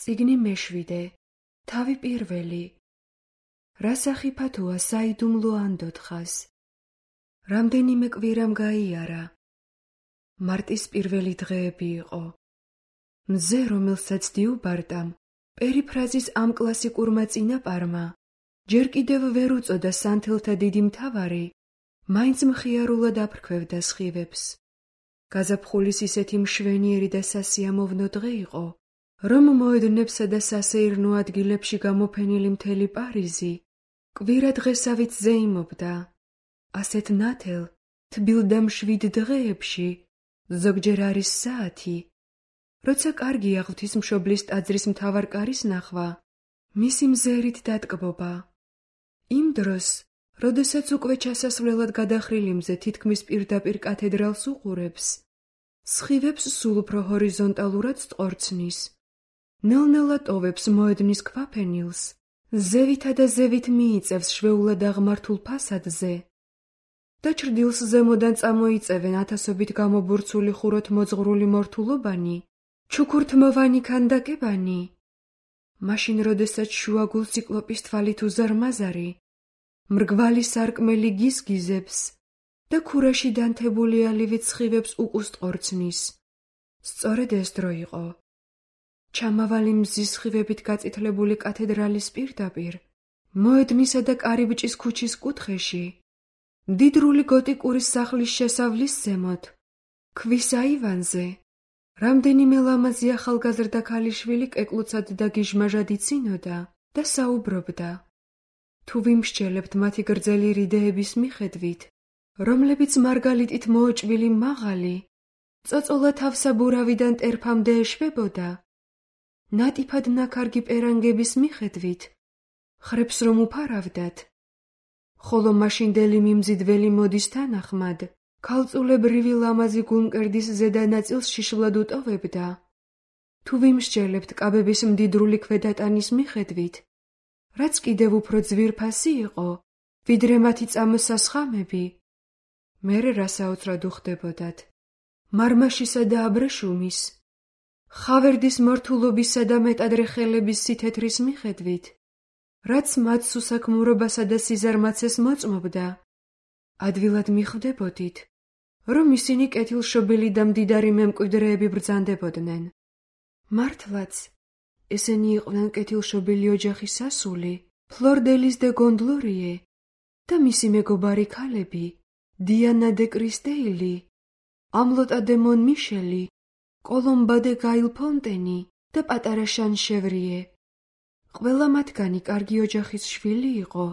წიგნი მეშვიდე, თავი პირველი. რა სახიფათოა საიდუმლო ანდოთხას. რამდენიმე კვირამ გაიარა. მარტის პირველი დღეები იყო. მზე, რომელსაც დიუბარტამ, პერიფრაზის ამ კლასიკურმა წინაპარმა, ჯერ კიდევ ვერ უწოდა სანთელთა დიდი მთავარი, მაინც მხიარულად აფრქვევდა სხივებს. გაზაფხულის ისეთი მშვენიერი და სასიამოვნო დღე იყო, რომ მოედნებსა და სასეირნო ადგილებში გამოფენილი მთელი პარიზი კვირა დღესავით ზეიმობდა. ასეთ ნათელ, თბილ და მშვიდ დღეებში ზოგჯერ არის საათი, როცა კარგია ღვთისმშობლის ტაძრის მთავარ კარის ნახვა, მისი მზერით დატკბობა. იმ დროს, როდესაც უკვე ჩასასვლელად გადახრილი მზე თითქმის პირდაპირ კათედრალს უყურებს, სხივებს სულ უფრო ჰორიზონტალურად სწორცნის. ნელ-ნელა ტოვებს მოედნის ქვაფენილს, ზევითა და ზევით მიიწევს შვეულად აღმართულ ფასადზე და ჩრდილს ზემოდან წამოიწევენ ათასობით გამობურცული ხუროთ მოძღვრული მორთულობანი, ჩუქურთმოვანი ქანდაკებანი. მაშინ, როდესაც შუაგულ ციკლოპის თვალით უზარმაზარი, მრგვალი სარკმელი გიზგიზებს და ქურაში დანთებული ალივით სხივებს უკუსტყორცნის. სწორედ ეს დრო იყო. ჩამავალი მზის სხივებით გაწითლებული კათედრალის პირდაპირ, მოედნისა და კარიბჭის ქუჩის კუთხეში, მდიდრული გოტიკური სახლის შესავლის ზემოთ, ქვის აივანზე, რამდენიმე ლამაზი ახალგაზრდა ქალიშვილი კეკლუცად და გიჟმაჟად იცინოდა და საუბრობდა. თუ ვიმსჯელებთ მათი გრძელი რიდეების მიხედვით, რომლებიც მარგალიტით მოოჭვილი მაღალი, წოწოლა თავსაბურავიდან ტერფამდე ეშვებოდა, ნატიფად ნაქარგი პერანგების მიხედვით, ხრებს რომ უფარავდათ, ხოლო მაშინდელი მიმზიდველი მოდის თანახმად, ქალწულებრივი ლამაზი გულმკერდის ზედა ნაწილს შიშვლად უტოვებდა. თუ ვიმსჯელებთ კაბების მდიდრული ქვედატანის მიხედვით, რაც კიდევ უფრო ძვირფასი იყო, ვიდრე მათი წამოსასხამები, მერე რა საოცრად უხდებოდათ. მარმაშისა და აბრეშუმის, ხავერდის მორთულობისა და მეტადრე ხელების სითეთრის მიხედვით, რაც მათ სუსაქმურობასა და სიზარმაცეს მოწმობდა, ადვილად მიხვდებოდით, რომ ისინი კეთილშობილი და მდიდარი მემკვიდრეები ბრძანდებოდნენ. მართლაც, ესენი იყვნენ კეთილშობილი ოჯახის ასული, ფლორ დე ლის დე გონდლორიე და მისი მეგობარი ქალები, დიანა დე კრისტეილი, ამლოტა დე მონ მიშელი, კოლომბა დე გაილ ფონტენი და პატარა შანშევრიე. ყველა მათგანი კარგი ოჯახის შვილი იყო,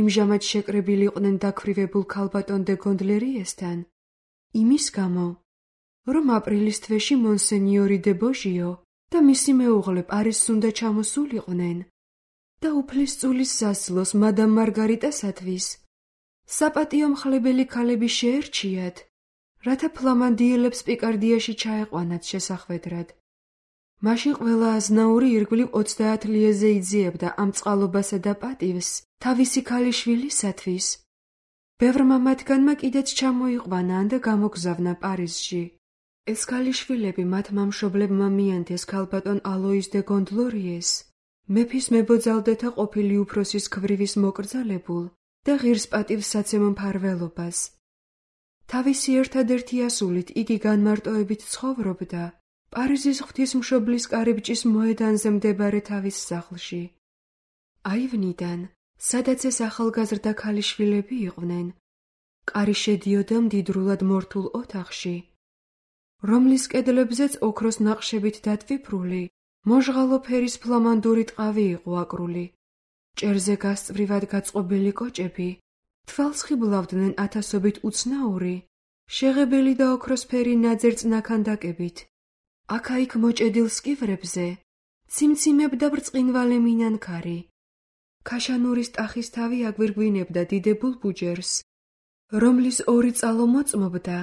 იმჟამად შეკრებილი იყვნენ დაქვრივებულ ქალბატონ დე გონდლერიესთან, იმის გამო, რომ აპრილის თვეში მონსენიორი დე ბოჟიო და მისი მეუღლე პარიზს უნდა ჩამოსულიყვნენ და უფლისწულის სასძლოს მადამ მარგარიტასათვის საპატიო მხლებელი ქალები შეერჩიათ, რათა ფლამანდიელებს პიკარდიაში ჩაეყვანათ შესახვედრად. მაშინ ყველა აზნაური ირგვლივ 30 ლიეზე იძიებდა ამ წყალობასა და პატივს თავისი ქალიშვილისათვის. ბევრმა მათგანმა კიდეც ჩამოიყვანა და გამოგზავნა პარიზში. ეს ქალიშვილები მათმა მშობლებმა მიენთეს ქალბატონ ალოიზ დე გონდლორიეს, მეფის მებოძალდეთა ყოფილი უფროსის ქვრივის მოკრძალებულ და ღირსპატივსაცემ მფარველობას. თავისი ერთადერთი ასულით იგი განმარტოებით ცხოვრობდა პარიზის ღვთისმშობლის კარიბჭის მოედანზე მდებარე თავის სახლში. აივნიდან, სადაც ეს ახალგაზრდა ქალიშვილები იყვნენ, კარი შედიოდა მდიდრულად მორთულ ოთახში, რომლის კედლებზეც ოქროს ნახშებით დატვიფრული, მოჟღალო ფერის ფლამანდური ტყავი იყო აკრული. ჭერზე გასწვრივად გაწყობილი კოჭები თვალს ხიბლავდნენ ათასობით უცნაური, შეღებილი და ოქროსფერი ნაძერწ ნაქანდაკებით. აქა-იქ მოჭედილ სკივრებზე ციმციმებდა ბრწყინვალე მინანქარი. ქაშანურის ტახის თავი აგვირგვინებდა დიდებულ ბუჯერს, რომლის ორი წყალო მოწმობდა,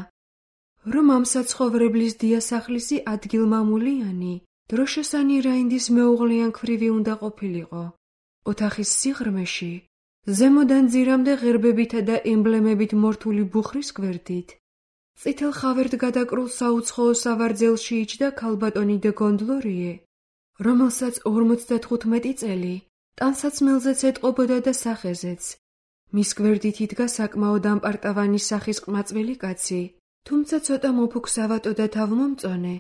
რომ ამ საცხოვრებლის დიასახლისი ადგილმამულიანი, დროშოსანი რაინდის მეუღლიან ქვრივი უნდა ყოფილიყო. ოთახის სიღრმეში, ზემოდან ძირამდე ღერბებითა და ემბლემებით მორთული ბუხრის გვერდით, წითელ ხავერთ გადაკრულ საუცხოო სავარძელში იჯდა ქალბატონი დე გონდლორიე, რომელსაც 55 წელი ტანსაცმელზეც ეტყობოდა და სახეზეც. მის გვერდით იდგა საკმაოდ ამპარტავანი სახის ყმაწვილი კაცი, თუმცა ცოტა მოფუქსავატო და თავმომწონე.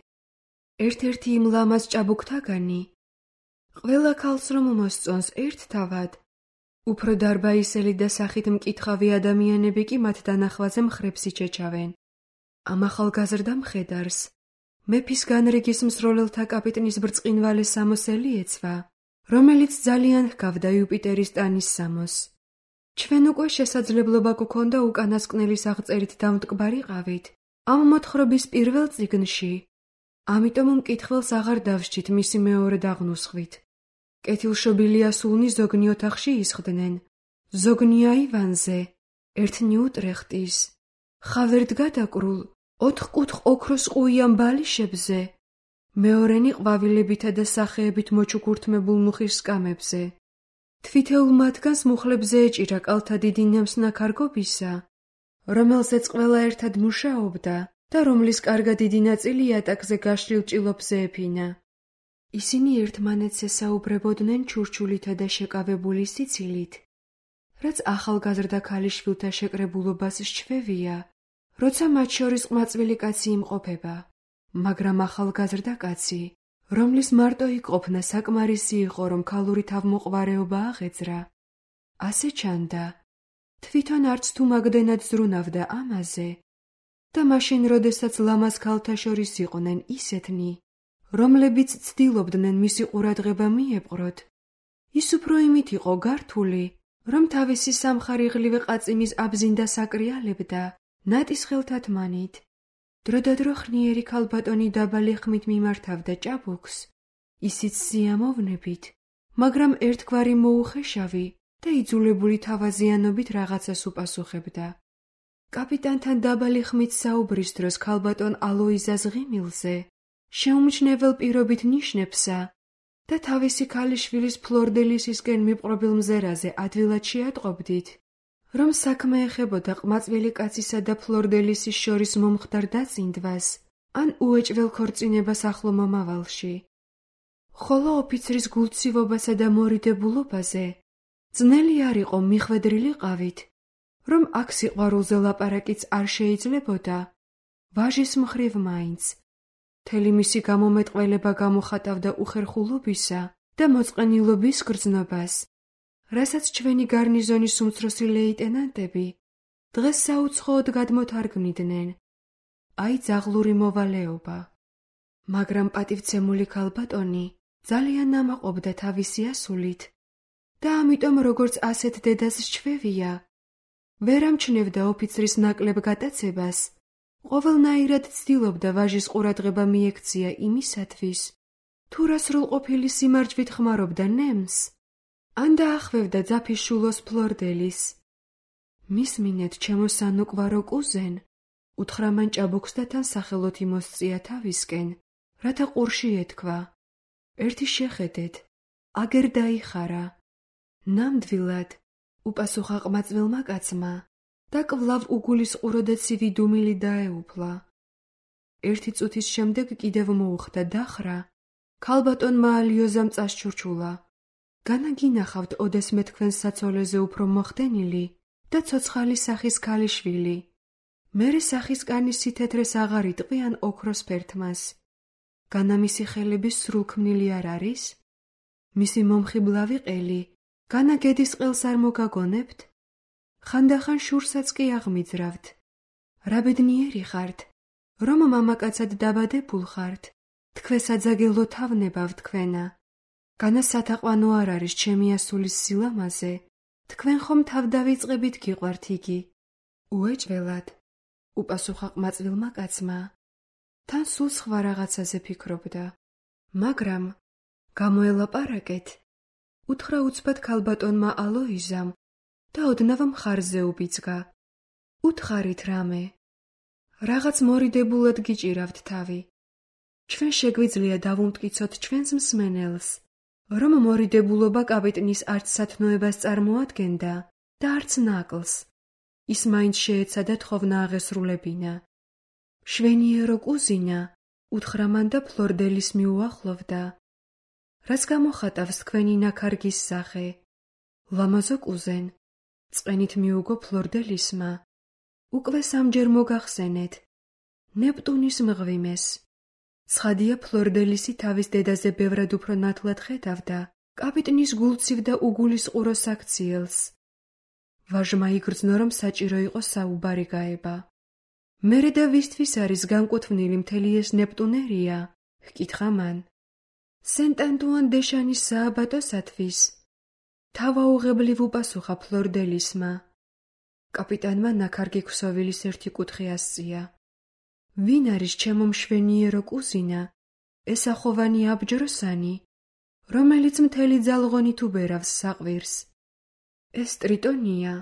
ერთ-ერთი იმ ლამაზ ჭაბუკთაგანი. ყველა ქალს რომ მოსწონს ერთ თავად, უფრო დარბაისელი და სახით მკითხავი ადამიანები კი მათ დანახვაზე მხრებს იჩეჩავენ. ამ ახალგაზრდა მხედარს მეფის განრიგის მსროლელთა კაპიტნის ბრწყინვალე სამოსელი ეცვა, რომელიც ძალიან ჰგავდა იუპიტერის ტანის სამოს. ჩვენ უკვე შესაძლებლობა გვქონდა უკანასკნელის აღწერით დამტკბარიყავით ამ მოთხრობის პირველ წიგნში, ამიტომ მკითხველს აღარ დავსჯით მისი მეორედ აღნუსხვით. კეთილშობილია სულნი ზოგნი ოთახში ისხდნენ, ზოგნი აივანზე, ერთნი უტრეხტის, ხავერთ გადაკრულ, ოთხკუთხ ოქროს ყუიან ბალიშებზე, მეორენი ყვავილებითა და სახეებით მოჩუქურთმებულ მუხის სკამებზე. თვითეულ მათგანს მუხლებზე ეჭირა კალთა დიდი ნემსნა ქარგობისა, რომელზეც ყველა ერთად მუშაობდა და რომლის კარგად დიდი ნაწილი იატაკზე გაშლილ ჭილობზე ეფინა. ისინი ერთმანეთს ესაუბრებოდნენ ჩურჩულითა და შეკავებული სიცილით, რაც ახალგაზრდა ქალიშვილთა შეკრებულობას სჩვევია, როცა მათ შორის ყმაწვილი კაცი იმყოფება, მაგრამ ახალგაზრდა კაცი, რომლის მარტო იყოფნა საკმარისი იყო, რომ ქალური თავმოყვარეობა აღეძრა, ასე ჩანდა, თვითონ არც თუ მაგდენად ზრუნავდა ამაზე, და მაშინ, როდესაც ლამაზ ქალთა შორის იყვნენ ისეთნი, რომლებიც ცდილობდნენ მისი ყურადღება მიეპყროთ, ის უფრო იმით იყო გართული, რომ თავისი სამხარიღლივი ყაწიმის აბზინდას აკრიალებდა ნატის ხელთათმანით. დროდადრო ხნიერი ქალბატონი დაბალი ხმით მიმართავდა ჭაბუკს, ისიც სიამოვნებით, მაგრამ ერთგვარი მოუხეშავი და იძულებული თავაზიანობით რაღაცას უპასუხებდა. კაპიტანთან დაბალი ხმით საუბრის დროს ქალბატონ ალოიზას ღიმილზე შეუმჩნევლ პირობით ნიშნებსა და თავისი ქალიშვილის ფლორდელისისკენ მიპყრობილ მზერაზე ადვილად შეატყობდით, რომ საქმე ეხებოდა ყმაწვილი კაცისა და ფლორდელისის შორის მომხდარ დაწინდვას ან უეჭველ ქორწინებას ახლო მომავალში. ხოლო ოფიცრის გულცივობასა და მორიდებულობაზე ძნელი არ იყო მიხვედრილიყავით, რომ აქ სიყვარულზე ლაპარაკიც არ შეიძლებოდა, ვაჟის მხრივ მაინც. მთელი მისი გამომეტყველება გამოხატავდა უხერხულობისა და მოწყენილობის გრძნობას, რასაც ჩვენი გარნიზონის უმცროსი ლეიტენანტები დღეს საუცხოოდ გადმოთარგმნიდნენ. აი ძაღლური მოვალეობა. მაგრამ პატივცემული ქალბატონი ძალიან ნამაყობდა თავისი ასულით და ამიტომ როგორც ასეთ დედას სჩვევია, ვერ ამჩნევდა ოფიცრის ნაკლებ გატაცებას, ყოველნაირად ცდილობდა ვაჟის ყურადღება მიექცია იმისათვის, თუ რა სრულყოფილი სიმარჯვით ხმარობდა ნემს, ან დაახვევდა ძაფის შულოს ფლორდელის. მისმინეთ ჩემო სანუკვარო კუზენ, უთხრა მან ჭაბუკს და თან სახელოთ იმოსწია თავისკენ, რათა ყურში ეთქვა. ერთი შეხედეთ, აგერ დაიხარა. ნამდვილად, უპასუხა ყმაწვილმა კაცმა და კვლავ უგულისყურო და ცივი დუმილი დაეუფლა. ერთი წუთის შემდეგ კიდევ მოუხდა დახრა, ქალბატონმა ალიოზამ წასჩურჩულა. განაგინახავთ ოდესმე თქვენ საცოლეზე უფრო მოხდენილი და ცოცხალი სახის ქალიშვილი. მერე სახის კანის სითეთრეს აღარ იტყვიან ოქროს ფერთმას. განა მისი ხელების სრულქმნილი არ არის? მისი მომხიბლავი ყელი, განა გედის ყელს არ მოგაგონებთ? ხანდახან შურსაც კი აღმიძრავთ. რა ბედნიერი ხართ, რომ მამაკაცად დაბადებულ ხართ, თქვესაძაგელო თავნებავ თქვენა. განა სათაყვანო არ არის ჩემი ასულის სილამაზე, თქვენ ხომ თავდავიწყებით გიყვართ იგი. უეჭველად, უპასუხა ყმაწვილმა კაცმა. თან სულ სხვა რაღაცაზე ფიქრობდა. მაგრამ გამოელაპარაკეთ, უთხრა უცბად ქალბატონმა ალოიზამ და ოდნავ მხარზე უბიძგა. უთხარით რამე. რაღაც მორიდებულად გიჭირავთ თავი. ჩვენ შეგვიძლია დავუმტკიცოთ ჩვენს მსმენელს, რომ მორიდებულობა კაპიტნის არც სათნოებას წარმოადგენდა და არც ნაკლს. ის მაინც შეეცადა თხოვნა აღესრულებინა. შვენიერო კუზინა, უთხრა მან და ფლორდელის მიუახლოვდა. რაც გამოხატავს თქვენი ნაქარგის სახე. ლამაზო კუზენ, წყენით მიუგო ფლორდელისმა. უკვე სამჯერ მოგახსენეთ. ნეპტუნის მღვიმეს. ცხადია ფლორდელისი თავის დედაზე ბევრად უფრო ნათლად ხედავდა კაპიტნის გულცივ და უგულისყურო საქციელს. ვაჟმა იგრძნო, რომ საჭირო იყო საუბარი გაება. მერე და ვისთვის არის განკუთვნილი მთელი ეს ნეპტუნერია? ჰკითხა მან. სენტ-ანტუან დე შანის სააბატოსათვის. თავაუღებლივ უპასუხა ფლორდელისმა. კაპიტანმა ნაქარგი ქსოვილის ერთი კუთხე ასწია. ვინ არის ჩემო მშვენიერო კუზინა, ესახოვანი აბჯროსანი, რომელიც მთელი ძალღონით უბერავს საყვირს? ეს ტრიტონია,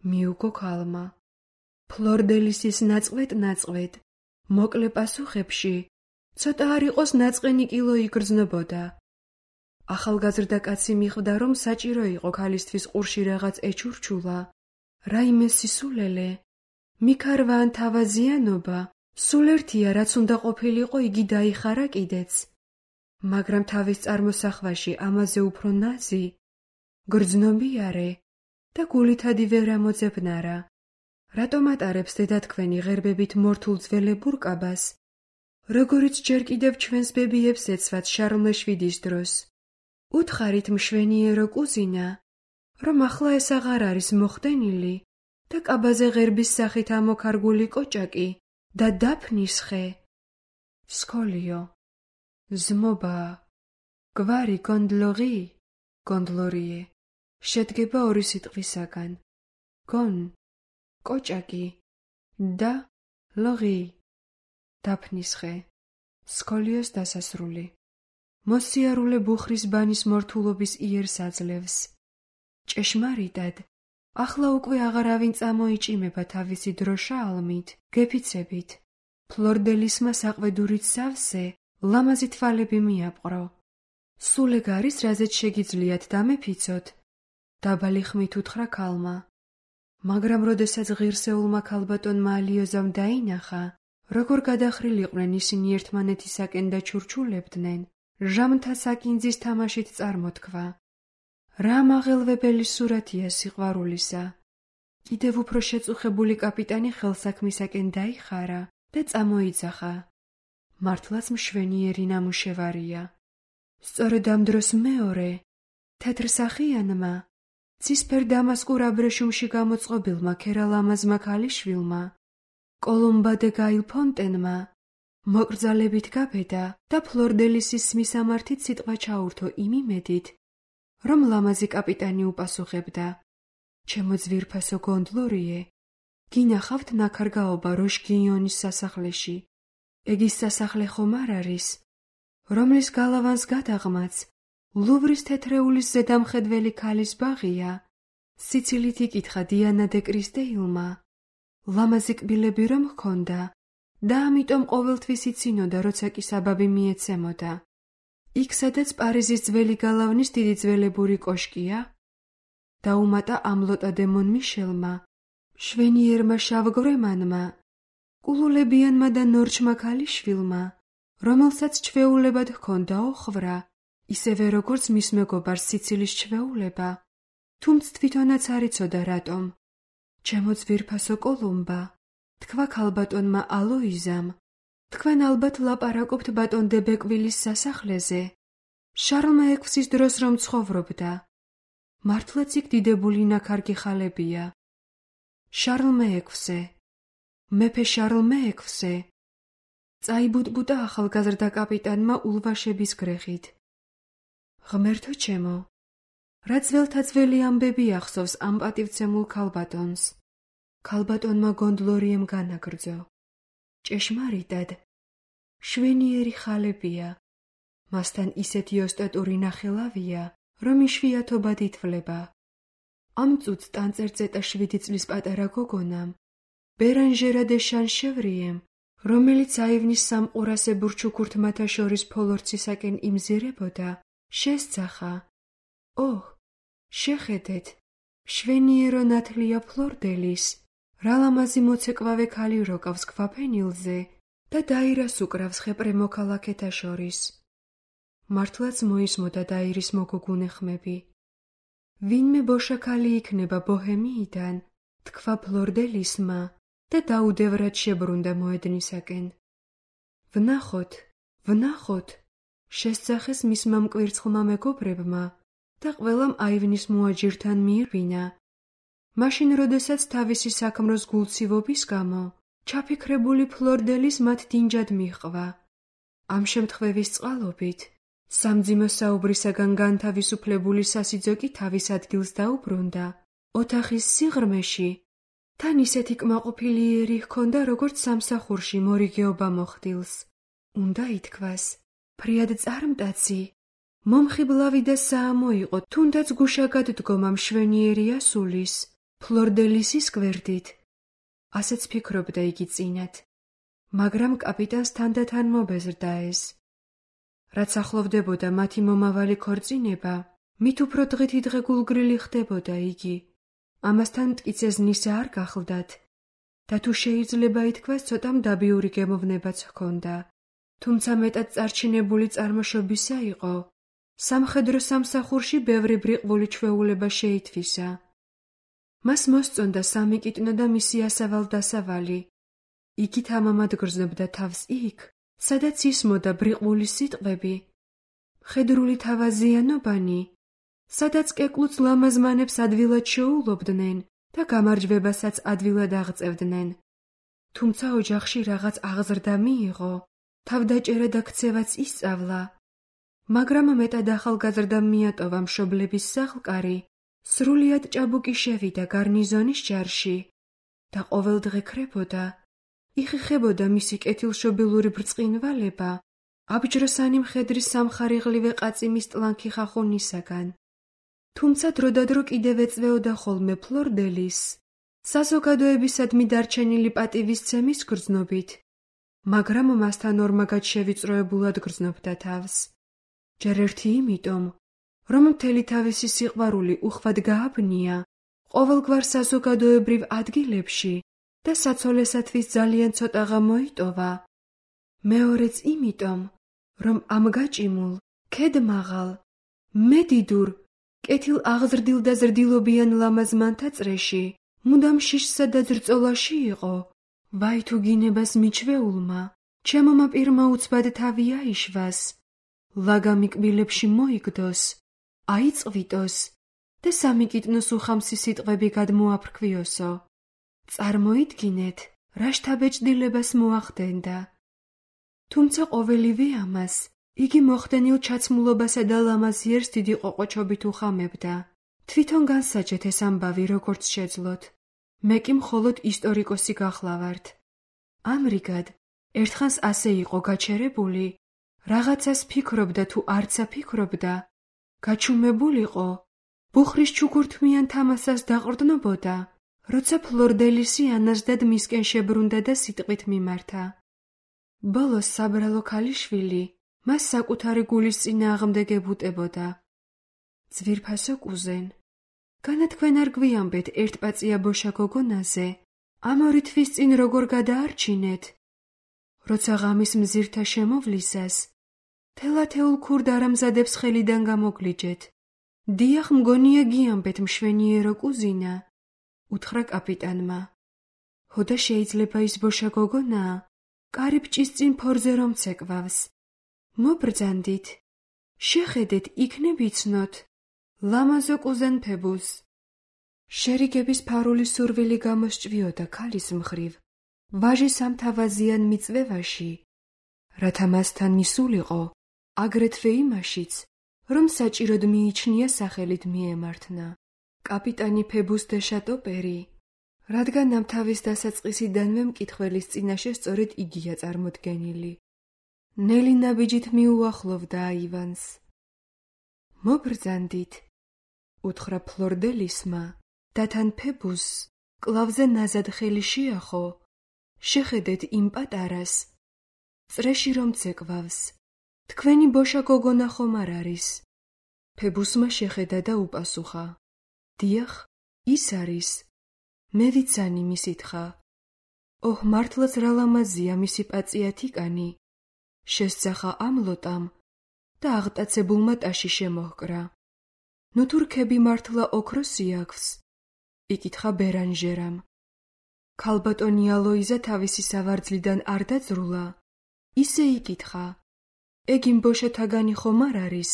მიუგო ქალმა. ფლორდელისის ნაწყვეტ-ნაწყვეტ, მოკლე პასუხებში ცოტა არ იყოს ნაწყენი კილო იგრძნობოდა. ახალგაზრდა კაცი მიხვდა, რომ საჭირო იყო ქალისთვის ყურში რაღაც ეჩურჩულა, რაიმე სისულელე, მიქარვა ან თავაზიანობა. სულ ერთია, რაც უნდა ყოფილიყო, იგი დაიხარა კიდეც. მაგრამ თავის წარმოსახვაში ამაზე უფრო ნაზი, გრძნობიარე და გულითადი ვერ ამოძებნარა. რატომ ატარებს დედათქვენი ღერბებით მორთულ ძველებურ კაბას, როგორიც ჯერ კიდევ ჩვენს ბებიებს ეცვათ შარლ შვიდის დროს? უთხარით მშვენიერო კუზინა, რომ ახლა ეს აღარ არის მოხდენილი და კაბაზე ღერბის სახით ამოქარგული კოჭაკი და დაფნის ხე. სკოლიო. ზმობა. გვარი გონდლორი, გონდლორიე. შედგება ორი სიტყვისაგან. გონ, კოჭაკი და ლორი, დაფნის ხე. სკოლიოს დასასრული. მოსიარულე ბუხრის ბანის მორთულობის იერს აძლევს. ჭეშმარიტად, ახლა უკვე აღარავინ წამოიჭიმება თავისი დროშა ალმით, გეფიცებით. ფლორდელისმა საყვედურით სავსე, ლამაზი თვალები მიაპყრო. სულ ეგ არის, რაზეც შეგიძლიათ დამეფიცოთ? დაბალი ხმით უთხრა ქალმა. მაგრამ როდესაც ღირსეულმა ქალბატონმა ალიოზამ დაინახა, როგორ გადახრილიყვნენ ისინი ერთმანეთისაკენ და ჩურჩულებდნენ, ჟამთა საკინძის თამაშით წარმოთქვა. რა მაღელვებელი სურათია სიყვარულისა. კიდევ უფრო შეწუხებული კაპიტანი ხელსაქმისაკენ დაიხარა და წამოიძახა. მართლაც მშვენიერი ნამუშევარია. სწორედ ამ დროს მეორე, თეთრსახიანმა, ცისფერ დამასკურ აბრეშუმში გამოწყობილმა ქერალამაზმა ქალიშვილმა, კოლუმბა დე გაილ ფონტენმა, მოკრძალებით გაბედა და ფლორდელისის მისამართით სიტყვა ჩაურთო იმ იმედით, რომ ლამაზი კაპიტანი უპასუხებდა. ჩემო ძვირფასო გონდლორიე, გინახავთ ნაქარგაობა როშგინიონის სასახლეში. ეგ ის სასახლე ხომ არ არის, რომლის გალავანს გადაღმაც ლუვრის თეთრეულის ზედამხედველი ქალის ბაღია? სიცილით იკითხა დიანა დე კრისტეილმა. ლამაზი კბილები რომ ჰქონდა და ამიტომ ყოველთვის იცინოდა, როცა კი საბაბი მიეცემოდა. იქ, სადაც პარიზის ძველი გალავნის დიდი ძველებური კოშკია? დაუმატა ამლოტა დე მონმიშელმა, მშვენიერმა შავგვრემანმა, კულულებიანმა და ნორჩმა ქალიშვილმა, რომელსაც ჩვეულებად ჰქონდა ოხრა, ისევე როგორც მის მეგობარს სიცილის ჩვეულება, თუმც თვითონაც არ იცოდა რატომ. ჩემო ძვირფასო კოლუმბა, თქვა ქალბატონმა ალოიზამ, თქვენ ალბათ ლაპარაკობთ ბატონ დე ბეკვილის სასახლეზე, შარლმა ექვსის დროს რომ ცხოვრობდა. მართლაც იქ დიდებული ნაქარგი ხალებია. შარლ მეექვსე, მეფე შარლ მეექვსე. წაიბუტბუტა ახალგაზრდა კაპიტანმა ულვაშების გრეხით. ღმერთო ჩემო, რა ძველთა ძველი ამბები ახსოვს ამ პატივცემულ ქალბატონს? ქალბატონმა გონდლორიემ განაგრძო. ჭეშმარიტად, შვენიერი ხალებია. მასთან ისეთი ოსტატური ნახელავია, რომ იშვიათობად ითვლება. ამ წუთს ტანწერწეტა 7 წლის პატარა გოგონამ, ბერანჟერა დე შანშევრიემ, რომელიც აივნის სამყურასებურ ჩუქურთმათა შორის ფოლორცისაკენ იმზირებოდა, შესძახა. ოჰ, შეხედეთ, მშვენიერო ნათლია ფლორდელის, რა ლამაზი მოცეკვავე ქალი როკავს ქვაფენილზე და დაირას უკრავს ხეპრე მოქალაქეთა შორის. მართლაც მოისმოდა დაირის მოგოგუნე ხმები. ვინმე ბოშაქალი იქნება ბოჰემიიდან, თქვა ფლორდელისმა და დაუდევრად შებრუნდა მოედნისაკენ. ვნახოთ, ვნახოთ, შესძახეს მისმა მკვირცხლმა მეგობრებმა და ყველამ აივნის მოაჯირთან მიირბინა. მაშინ, როდესაც თავისი საქმროს გულცივობის გამო ჩაფიქრებული ფლორდელის მათ დინჯად მიჰყვა. ამ შემთხვევის წყალობით სამძიმო საუბრისაგან განთავისუფლებული სასიძო კი თავის ადგილს დაუბრუნდა. ოთახის სიღრმეში თან ისეთი კმაყოფილი იერი ჰქონდა, როგორც სამსახურში მორიგეობა მოხდილს. უნდა ითქვას, ფრიად წარმტაცი, მომხიბლავი და საამო იყო, თუნდაც გუშაგად დგომა მშვენიერი ასულის, ფლორდელისის გვერდით. ასეც ფიქრობდა იგი წინათ, მაგრამ კაპიტანს თანდათან მობეზრდა ეს. რაც ახლოვდებოდა მათი მომავალი ქორწინება, მით უფრო დღითიდღე გულგრილი ხდებოდა იგი. ამასთან მტკიცე ზნისა არ გახლდათ და თუ შეიძლება ითქვას, ცოტა მდაბიური გემოვნებაც ჰქონდა. თუმცა მეტად წარჩინებული წარმოშობისა იყო. სამხედრო სამსახურში ბევრი ბრიყვული ჩვეულება შეითვისა. მას მოსწონდა სამი კიტნო და მისი ასავალ-დასავალი. იგი თამამად გრძნობდა თავს იქ, სადაც ისმოდა ბრიყვული სიტყვები, მხედრული თავაზიანობანი, სადაც კეკლუც ლამაზმანებს ადვილად შეულობდნენ და გამარჯვებასაც ადვილად აღწევდნენ. თუმცა ოჯახში რაღაც აღზრდა მიიღო, თავდაჭერა და ქცევაც ისწავლა, მაგრამ მეტად ახალგაზრდა მიატოვა მშობლების სახლკარი, სრულიად ჭაბუკი შევიდა გარნიზონის ჯარში და ყოველდღე ქრებოდა, იხიხებოდა მისი კეთილშობილური ბრწყინვალება, აბჯროსანი მხედრის სამხარიღლივე ყაწიმის ტლანქი ხახუნისაგან. თუმცა დროდადრო კიდევ ეწვეოდა ხოლმე ფლორდელის, საზოგადოებისადმი დარჩენილი პატივისცემის გრძნობით, მაგრამ მასთან ორმაგად შევიწროებულად გრძნობდა თავს. ჯერ ერთი იმიტომ, რომ მთელი თავისი სიყვარული უხვად გააბნია ყოველგვარ საზოგადოებრივ ადგილებში და საცოლესათვის ძალიან ცოტაღა მოიტოვა. მეორეც იმიტომ, რომ ამ გაჭიმულ, ქედმაღალ, მედიდურ, კეთილ აღზრდილ და ზრდილობიან ლამაზ მანთაწრეში მუდამ შიშსა და ძრწოლაში იყო. ვაი თუ გინებას მიჩვეულმა, ჩემომა პირმა უცბად თავი აიშვას, ლაგამი კბილებში მოიგდოს, აიწვიტოს და სამი კიტნოს უხამსი სიტყვები გადმოაფრქვიოსო. წარმოიდგინეთ, რა შთაბეჭდილებას მოახდენდა. თუმცა ყოველივე ამას იგი მოხდენილ ჩაცმულობასა და ლამაზიერს დიდი ყოყოჩობით უხამებდა. თვითონ განსაჯეთ ეს ამბავი როგორც შეძლოთ. მე კი მხოლოდ ისტორიკოსი გახლავართ. ამრიგად, ერთხანს ასე იყო გაჩერებული, რაღაცას ფიქრობდა თუ არცა ფიქრობდა, გაჩუმებულიყო, ბუხრის ჩუქურთმიან თამასას დაყრდნობოდა, როცა ფლორდელისი ანაზდად მისკენ შებრუნდა და სიტყვით მიმართა. ბოლოს საბრალო ქალიშვილი მას საკუთარი გულის წინააღმდეგ ებუტებოდა. ძვირფასო კუზენ, განა თქვენ არ გვიამბეთ ერთპაწია ბოშა გოგონაზე, ამ ორი თვის წინ როგორ გადაარჩინეთ? როცა ღამის მზირთა შემოვლისას, თელათეულ ქურდ არამზადებს ხელიდან გამოგლიჯეთ. დიახ, მგონია გიამბეთ მშვენიერო კუზინა, უთხრა კაპიტანმა. ჰოდა შეიძლება ის ბოშა გოგონაა, კარიბჭის წინ ფორზე რომ ცეკვავს. მობრძანდით, შეხედეთ, იქნებ იცნოთ, ლამაზო კუზენ ფებუს. შერიგების ფარული სურვილი გამოსჭვიოდა ქალის მხრივ, ვაჟის ამ თავაზიან მიწვევაში, რათა მასთან მისულიყო, აგრეთვე იმაშიც, რომ საჭიროდ მიიჩნია სახელით მიემართნა. კაპიტანი ფებუს დე შატოპერი, რადგან ამ თავის დასაწყისიდანვე მკითხველის წინაშე სწორედ იგია წარმოდგენილი. ნელი ნაბიჯით მიუახლოვდა აივანს. მობრძანდით, უთხრა ფლორდელისმა, და თან ფებუსს კლავზე ნაზად ხელი შეახო. შეხედეთ იმ პატარას, წრეში რომ ცეკვავს. თქვენი ბოშა გოგონა ხომ არ არის? ფებუსმა შეხედა და უპასუხა. დიახ, ის არის. მე ვიცანი მისითხრა. ოჰ, მართლაც რა ლამაზია მისი პაწიათიკანი. შესძახა ამ ლოტამ, და აღტაცებულმა ტაში შემოჰკრა. ნუ თუ რქები მართლა ოქროსი აქვს? იკითხა ბერანჟერამ. ქალბატონი ალოიზა თავისი სავარძლიდან არ დაძრულა. ისე იკითხა. ეგ იმ ბოშათაგანი ხომ არ არის?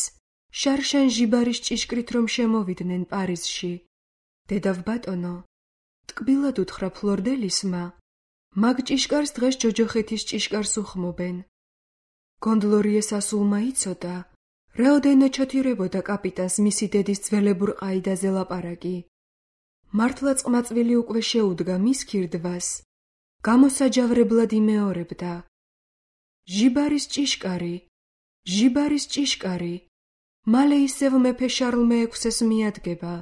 შარშან ჟიბარის ჭიშკრით რომ შემოვიდნენ პარიზში. დედავ ბატონო, ტკბილად უთხრა ფლორდელისმა, მაგ ჭიშკარს დღეს ჯოჯოხეთის ჭიშკარს უხმობენ. გონდლორიეს ასულმა იცოდა, რაოდენო ჩათირებოდა კაპიტანს მისი დედის ძველებურ ყაიდაზე ლაპარაკი. მართლა წყმაწვილი უკვე შეუდგა მის ქირდვას, გამოსაჯავრებლად იმეორებდა. ჟიბარის ჭიშკარი, ჟიბარის ჭიშკარი, მალე ისევ მეფე შარლ მეექვსეს მიადგება.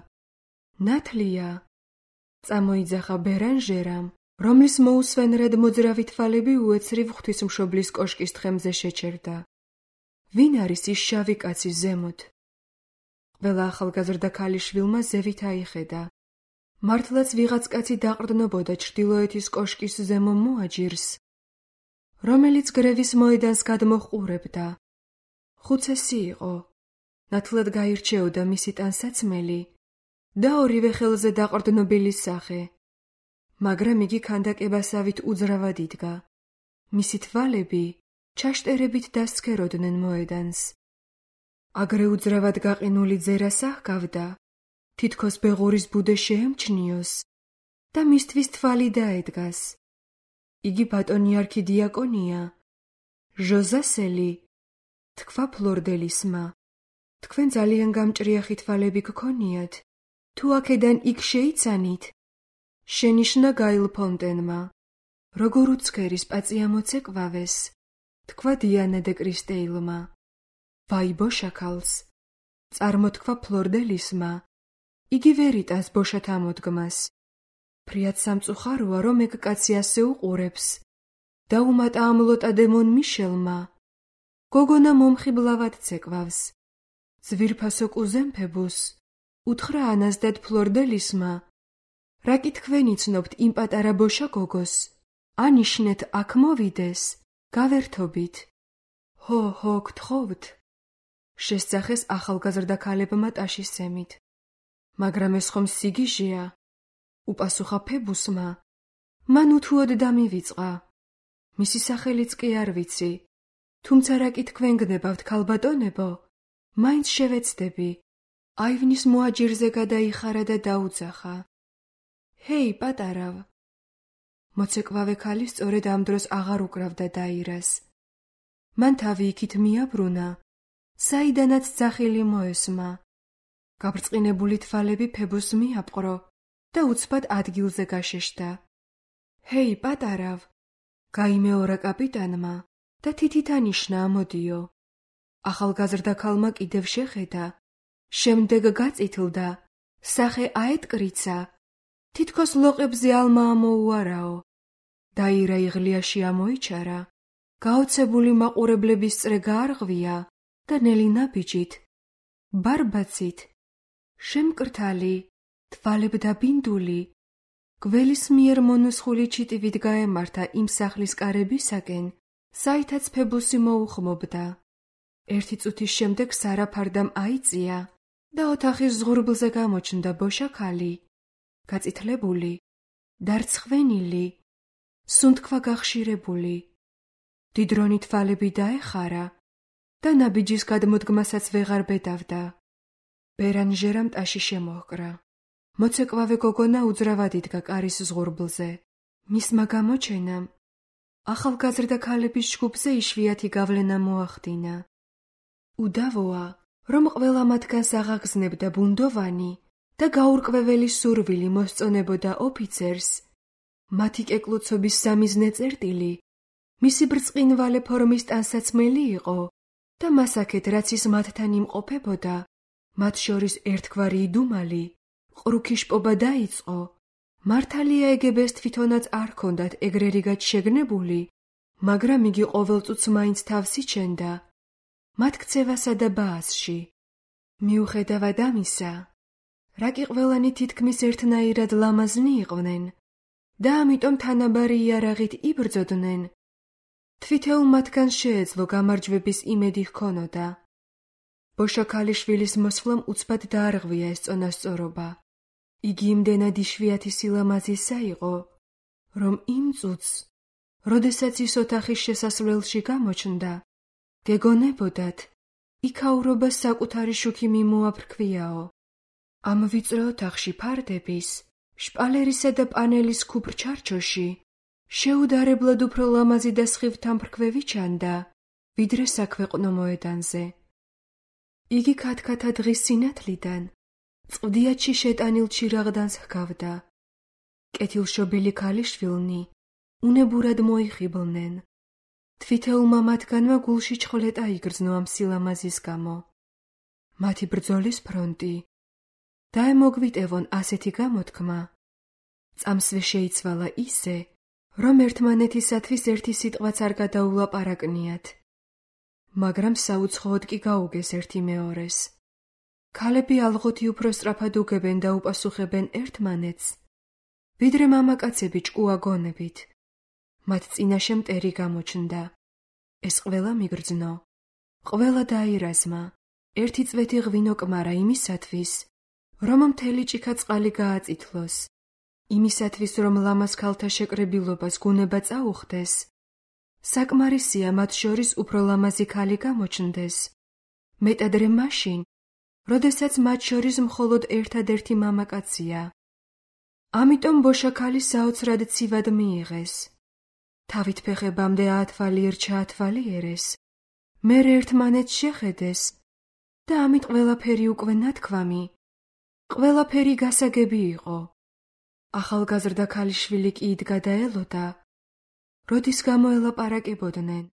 ნათლია, წამოიძახა ბერანჟერამ, რომლის მოუსვენრად მოძრავი თვალები უეცრივ ღვთისმშობლის კოშკის თხემზე შეჩერდა. ვინ არის ის შავი კაცი ზემოთ? ყველა ახალგაზრდა ქალიშვილმა ზევით აიხედა. მართლაც ვიღაც კაცი დაყრდნობოდა ჩრდილოეთის კოშკის ზემო მოაჯირს, რომელიც გრევის მოედანს გადმოჰყურებდა. ხუცესი იყო, ნათლად გაირჩეოდა მისი ტანსაცმელი და ორივე ხელზე დაყრდნობილი სახე, მაგრამ იგი ქანდაკებასავით უძრავად იდგა. მისი თვალები ჩაშტერებით დასცქეროდნენ მოედანს. აგრე უძრავად გაყინული ძერას აჰგავდა, თითქოს ბეღურის ბუდე შეემჩნიოს და მისთვის თვალი დაედგას. იგი ბატონი არქიდიაკონია, ჟოზასელი, თქვა ფლორდელისმა. თქვენ ძალიან გამჭრიახი თვალები გქონიათ, თუ აქედან იქ შეიცანით? შენიშნა გაილ ფონტენმა. როგორ უცქერის პაწია მოცეკვავეს, თქვა დიანა დე კრისტეილმა. ვაი ბოშაქალს, წარმოთქვა ფლორდელისმა. იგი ვერ იტანს ბოშათ ამოდგმას. ფრიად სამწუხაროა, რომ ეგ კაცი ასე უყურებს. დაუმატა ამ ლოტა დე მონ მიშელმა. გოგონა მომხიბლავად ცეკვავს. ძვირფასო კუზემფებუს, უთხრა ანაზდად ფლორდელისმა. რა კი თქვენ იცნობთ იმ პატარა ბოშა გოგოს? ანიშნეთ აქ მოვიდეს, გავერთობით. ჰო, გთხოვთ. შესძახეს ახალგაზრდა ქალებმა ტაშის ზემით. მაგრამ ეს ხომ სიგიჟეა? უპასუხა ფებუსმა. მან უთუოდ დამივიწყა. მისი სახელიც კი არ ვიცი. თუმცა რა კი თქვენ გნებავთ, ქალბატონებო? მაინც შევეცდები. აივნის მოაჯირზე გადაიხარა და დაუძახა. ჰეი, პატარავ. მოცეკვავე ქალი სწორედ ამ დროს აღარ უკრავდა დაირას. მან თავი იქით მიაბრუნა, საიდანაც ძახილი მოესმა. გაბრწყინებული თვალები ფებუსს მიაპყრო და უცბად ადგილზე გაშეშდა. ჰეი, პატარავ, გაიმეორა კაპიტანმა და თითით ანიშნა ამოდიო. ახალგაზრდა ქალმა კიდევ შეხედა, შემდეგ გაწითლდა, სახე აეტკრიცა, თითქოს ლოყებზე ალმა ამოუარაო. დაირა იღლიაში ამოიჩარა, გაოცებული მაყურებლების წრე გაარღვია და ნელი ნაბიჯით, ბარბაცით, შემკრთალი, თვალებდაბინდული, გველის მიერ მონუსხული ჩიტივით გაემართა იმ სახლის კარებისაკენ, საითაც ფებუსი მოუხმობდა. ერთი წუთის შემდეგ სარაფარდამ აიწია და ოთახის ზღურბლზე გამოჩნდა ბოშა ქალი, გაწითლებული, დარცხვენილი, სუნთქვა გახშირებული. დიდრონი თვალები დაეხარა და ნაბიჯის გადმოდგმასაც ვეღარ ბედავდა. ბერანჟერამ ტაში შემოჰკრა. მოცეკვავე გოგონა უძრავად იდგა კარის ზღურბლზე. მისმა გამოჩენამ ახალგაზრდა ქალების ჯგუფზე იშვიათი გავლენა მოახდინა. უდავოა, რომ ყველა მათგანს აღაგზნებდა ბუნდოვანი და გაურკვეველი სურვილი მოსწონებოდა ოფიცერს, მათი კეკლუცობის სამიზნე წერტილი, მისი ბრწყინვალე ფორმის ტანსაცმელი იყო და მასაკეთ, რაც ის მათთან იმყოფებოდა, მათ შორის ერთგვარი იდუმალი, ყრუქი შპობა დაიწყო. მართალია ეგებეს თვითონაც არ ჰქონდათ ეგრერიგად შეგნებული, მაგრამ იგი ყოველწუთს მაინც თავს იჩენდა მათ ქცევასა და ბაასში. მიუხედავად ამისა, რა კი ყველანი თითქმის ერთნაირად ლამაზნი იყვნენ და ამიტომ თანაბარი იარაღით იბრძოდნენ, თვითეულ მათგანს შეეძლო გამარჯვების იმედი ჰქონოდა. ბოშა ქალიშვილის მოსვლამ უცბად დაარღვია ეს წონასწორობა. იგი იმდენად იშვიათი სილამაზისა იყო, რომ იმ წუთს, როდესაც ის ოთახის შესასვლელში გამოჩნდა, გეგონებოდათ, იქაურობას საკუთარი შუქი მიმოაფრქვიაო. ამ ვიწრო ოთახში ფარდების, შპალერისა და პანელის ქუპრ ჩარჩოში შეუდარებლად უფრო ლამაზი და სხივთან ფრქვევი ჩანდა, ვიდრე საქვეყნო მოედანზე. იგი ქათქათა დღის სინათლიდან წყდიათში შეტანილ ჩირაღდანს ჰგავდა. კეთილშობილი ქალიშვილნი უნებურად მოიხიბლნენ. თვითეულმა მათგანმა გულში ჩხლეტა იგრძნო ამ სილამაზის გამო. მათი ბრძოლის ფრონტი. დაემოგვიტევონ ასეთი გამოთქმა. წამსვე შეიცვალა ისე, რომ ერთმანეთისათვის ერთი სიტყვაც არ გადაულაპარაკნიათ. მაგრამ საუცხოოდ კი გაუგეს ერთი მეორეს. ქალები ალღოთი უფრო სწრაფად უგებენ და უპასუხებენ ერთმანეთს, ვიდრე მამაკაცები ჭკუა გონებით. მათ წინაშე მტერი გამოჩნდა. ეს ყველა მიგრძნო. ყველა დაირაზმა. ერთი წვეთი ღვინო კმარა იმისათვის, რომ მთელი ჭიქა წყალი გააწითლოს. იმისათვის, რომ ლამაზ ქალთა შეკრებილობას გუნება წაუხდეს, საკმარისია მათ შორის უფრო ლამაზი ქალი გამოჩნდეს. მეტადრე მაშინ, როდესაც მათ შორის მხოლოდ ერთადერთი მამაკაცია. ამიტომ ბოშა ქალი საოცრად ცივად მიიღეს. თავით ფეხებამდე აათვალიერ ჩაათვალიერეს, მერე ერთმანეთს შეხედეს და ამით ყველაფერი უკვე ნათქვამი, ყველაფერი გასაგები იყო. ახალგაზრდა ქალიშვილი კი იდგა და ელოდა, როდის გამოელაპარაკებოდნენ.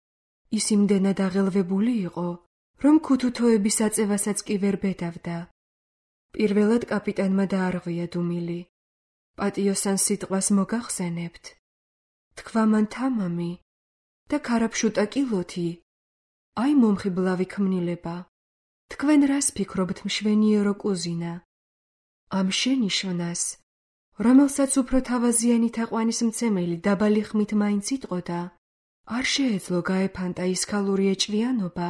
ის იმდენად აღელვებული იყო, რომ ქუთუთოების აწევასაც კი ვერ ბედავდა. პირველად კაპიტანმა დაარღვია დუმილი. პატიოსან სიტყვას მოგახსენებთ. თქვა მან თამამი და ქარაფშუტა კილოთი. აი მომხიბლავი ქმნილება. თქვენ რას ფიქრობთ მშვენიერო კუზინა? ამ შენიშვნას, რომელსაც უფრო თავაზიანი თაყვანის მცემელი დაბალი ხმით მაინც იტყოდა, არ შეეძლო გაეფანტა ის ქალური ეჭვიანობა,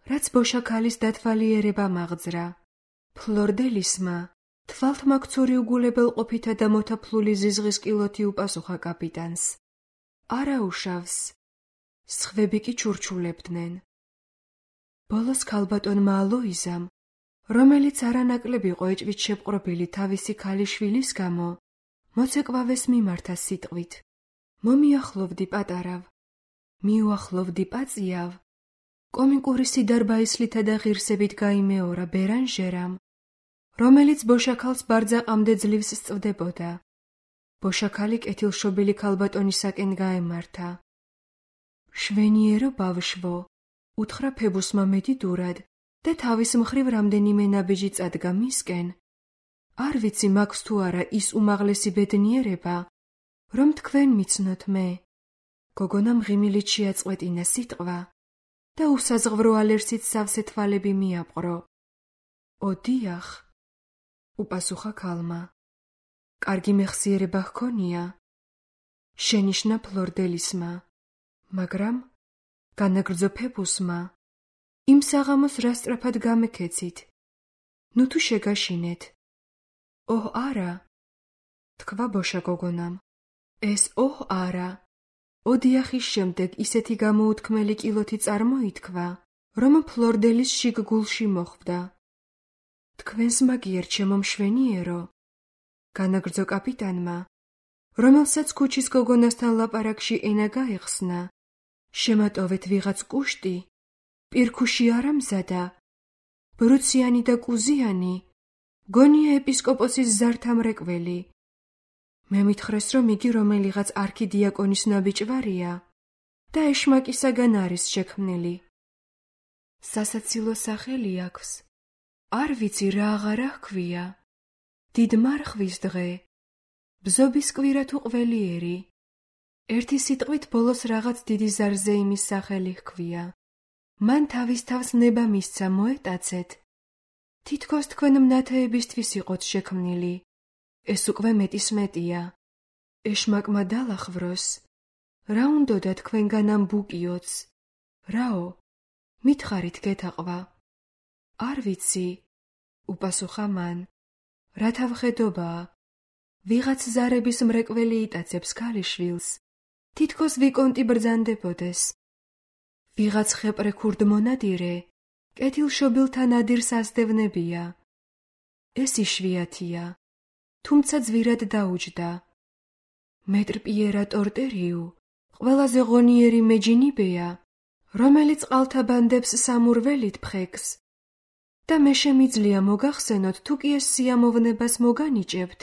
რაც ბოშა ქალის დათვალიერება მაღძრა. ფლორდელისმა თვალთმაქცური უგულებელყოფითა და მოთაფლული ზიზღის კილოთი უპასუხა კაპიტანს. არაუშავს, სხვები კი ჩურჩულებდნენ. ბოლოს ქალბატონმა ალოიზამ, რომელიც არანაკლებ იყო ეჭვით შეპყრობილი თავისი ქალიშვილის გამო, მოცეკვავეს მიმართა სიტყვით. მომიახლოვდი პატარავ, მიუახლოვდი პაწიავ, კომიკური სიდარბაისლითა და ღირსებით გაიმეორა ბერანჟერამ, რომელიც ბოშაქალს ბარძაყამდე ძლივს სწვდებოდა. ბოშაქალი კეთილშობილი ქალბატონისაკენ გაემართა. შვენიერო ბავშვო, უთხრა ფებუსმა მედიდურად და თავის მხრივ რამდენიმე ნაბიჯი წადგა მისკენ. არ ვიცი მაქვს თუ არა ის უმაღლესი ბედნიერება, რომ თქვენ მიცნოთ მე. გოგონამ ღიმილით შეაწყვეტინა სიტყვა და უსაზღვრო ალერსით სავსე თვალები მიაპყრო. ოდიახ, უპასუხა ქალმა. კარგი მეხსიერება ჰქონია. შენიშნა ფლორდელისმა, მაგრამ განაგრძო ფებუსმა. იმ საღამოს რა სწრაფად გამექეცით? ნუ თუ შეგაშინეთ. ოჰ არა, თქვა ბოშა გოგონამ. ეს ოჰ არა. ოდიახის შემდეგ ისეთი გამოუთქმელი კილოთი წარმოითქვა, რომ ფლორდელის შიგ გულში მოხვდა. თქვენს მაგიერ ჩემო მშვენიერო, განაგრძო კაპიტანმა, რომელსაც ქუჩის გოგონასთან ლაპარაკში ენა გაეხსნა. შემატოვეთ ვიღაც კუშტი, პირქუში არამზადა, ბრუციანი და კუზიანი, გონია ეპისკოპოსის ზართამრეკველი. მე მითხრეს, რომ იგი რომელიღაც არქიდიაკონის ნაბიჭვარია და ეშმაკისაგან არის შექმნილი. სასაცილო სახელი აქვს. არ ვიცი რა აღარა ჰქვია. დიდმარხვის დღე. ბზობის კვირა თუ ყველიერი. ერთი სიტყვით ბოლოს რაღაც დიდი ზარზეიმის სახელი ჰქვია. მან თავის თავს ნება მისცა მოეტაცეთ. თითქოს თქვენ მნათეებისთვის იყოთ შექმნილი. ეს უკვე მეტის მეტია. ეშმაკმა დალახვროს. რა უნდოდა თქვენგან ამ ბუკიოც? რაო? მითხარით გეთაყვა. არ ვიცი, უპასუხა მან. რათა ვხედობაა. ვიღაც ზარების მრეკველი იტაცებს ქალიშვილს. თითქოს ვიკონტი ბრძანდებოდეს. ვიღაც ხეპრე ქურდ მონადირე, კეთილშობილთა ნადირს ასდევნებია. ეს იშვიათია, თუმცა ძვირად დაუჯდა. მეტრ პიერა ტორტერიუ ყველაზე ღონიერი მეჯინიბეა, რომელიც წყალთა ბანდებს სამურველით ფხეკს. და მე შემიძლია მოგახსენოთ, თუ კი ეს სიამოვნებას მოგანიჭებთ,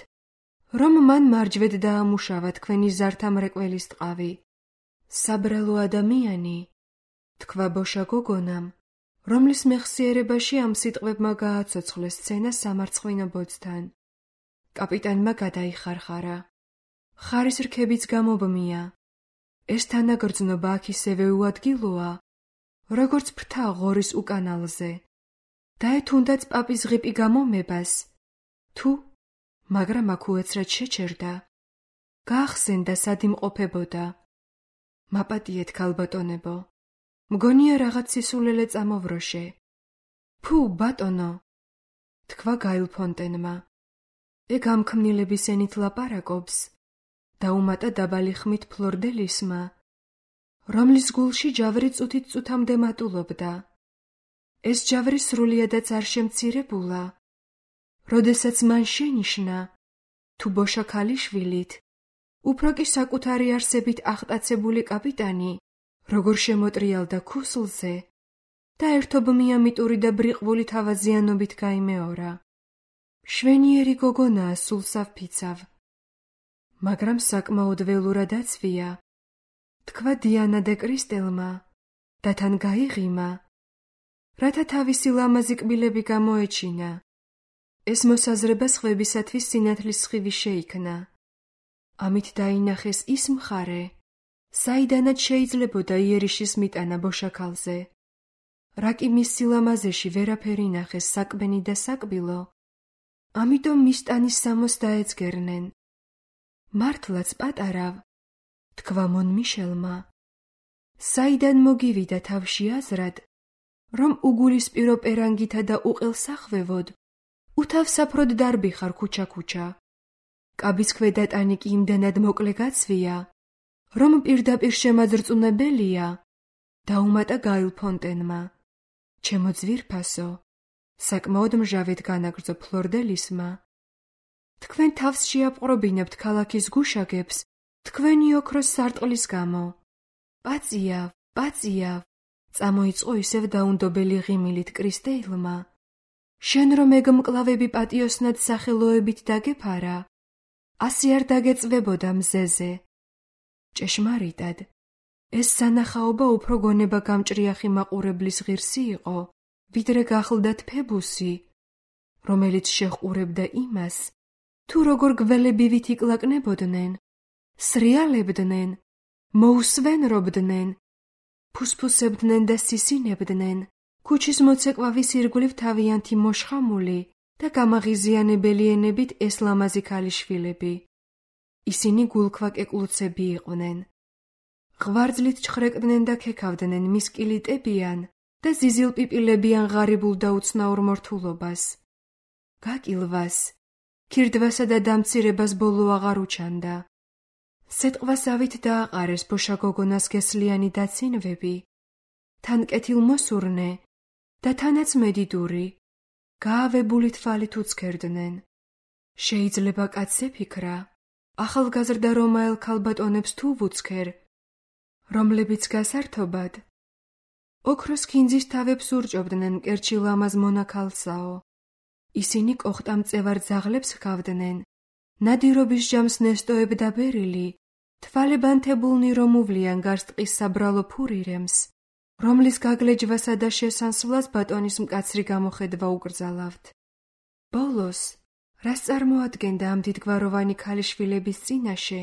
რომ მან მარჯვედ დაამუშავა თქვენი ზართა მრეკველის ტყავი. საბრალო ადამიანი, თქვა ბოშა გოგონამ, რომლის მეხსიერებაში ამ სიტყვებმა გააცოცხლეს სცენა სამარცხვინო ბოძთან. კაპიტანმა გადაიხარხარა. ხარის რქებიც გამობმია. ეს თანაგრძნობა აქ ისევე უადგილოა, როგორც ფრთა ღორის უკანალზე. და ეთუნდაც პაპის ღიპი გამომებას, თუ, მაგრამ აქ უეცრად შეჩერდა. გაახსენდა სად იმყოფებოდა. მაპატიეთ ქალბატონებო, მგონია რაღაც სისულელე წამოვროშე. ფუ, ბატონო, თქვა გაილ ფონტენმა. ეგ ამ ქმნილების ენით ლაპარაკობს. დაუმატა დაბალი ხმით ფლორდელისმა, რომლის გულში ჯავრი წუთით წუთამდე მატულობდა. ეს ჯავრი სრულიადაც არ შემცირებულა. როდესაც მან შენიშნა, თუ ბოშა ქალიშვილით, უფრო კი საკუთარი არსებით აღტაცებული კაპიტანი, როგორ შემოტრიალდა ქუსლზე და ერთობ მიამიტური და ბრიყვული თავაზიანობით გაიმეორა. შვენიერი გოგონაა სულსაფფიცავ, მაგრამ საკმაოდ ველურად აცვია, თქვა დიანა დე კრისტელმა და თან გაიღიმა, რათა თავისი ლამაზი კბილები გამოეჩინა. ეს მოსაზრება სხვებისათვის სინათლის სხივი შეიქმნა. ამით დაინახეს ის მხარე, საიდანაც შეიძლებოდა იერიშის მიტანა ბოშაქალზე. რა კი მის სილამაზეში ვერაფერი ნახეს საკბენი და საკბილო, ამიტომ მის ტანის სამოს დაეძგერნენ. მართლაც პატარავ, თქვა მონ მიშელმა. საიდან მოგივიდა თავში აზრად, რომ უგულისპირო პერანგითა და უყელსახვევოდ უთავსაფროდ დარბიხარ ქუჩა-ქუჩა. კაბის ქვედა ტანი კი იმდენად მოკლე გაცვია, რომ პირდაპირ შემაძრწუნებელია. დაუმატა გაილ ფონტენმა. ჩემო ძვირფასო, საკმაოდ მჟავედ განაგრძო ფლორდელისმა. თქვენ თავს შეაპყრობინებთ ქალაქის გუშაგებს თქვენი ოქროს სარტყლის გამო. პაწიავ, პაწიავ, წამოიწყო ისევ დაუნდობელი ღიმილით კრისტეილმა. შენ რომ ეგ მკლავები პატიოსნად სახელოებით დაგეფარა, ასე არ დაგეწვებოდა მზეზე. ჭეშმარიტად, ეს სანახაობა უფრო გონება გამჭრიახი მაყურებლის ღირსი იყო, ვიდრე გახლდათ ფებუსი, რომელიც შეჰყურებდა იმას, თუ როგორ გველებივით იკლაკნებოდნენ, სრიალებდნენ, მოუსვენრობდნენ, ფუსფუსებდნენ და სისინებდნენ, ქუჩის მოცეკვავის ირგვლივ თავიანთი მოშხამული და გამაღიზიანებელი ენებით ეს ლამაზი ქალიშვილები. ისინი გულქვაკეკლუცები იყვნენ. ღვარძლით ჩხრეკდნენ და ქექავდნენ მისკილიტებიან და ზიზილპიპილებიან ღარიბულ და უცნაურ მორთულობას. გაკილვას, ქირდვასა და დამცირებას ბოლო აღარ უჩანდა. სეტყვასავით დააყარეს ბოშა გოგონას გესლიანი დაცინვები, თან კეთილმოსურნე და თანაც მედიდური, გაავებული თვალით უცქერდნენ. შეიძლება კაცს ეფიქრა, ახალგაზრდა რომაელ ქალბატონებს თუ ვუცქერ, რომლებიც გასართობად ოქროს ქინძის თავებს ურჭობდნენ მკერჩი ლამაზ მონაქალსაო. ისინი კოხტამწევარ ძაღლებს ჰგავდნენ, ნადირობის ჯამს ნესტოებდა ბერილი, თვალებანთებულნი რომ უვლიან გარს ტყის საბრალო ფურირემს, რომლის გაგლეჯვასა და შესანსვლას ბატონის მკაცრი გამოხედვა უკრძალავთ. ბოლოს, რას წარმოადგენდა ამ დიდგვაროვანი ქალიშვილების წინაშე,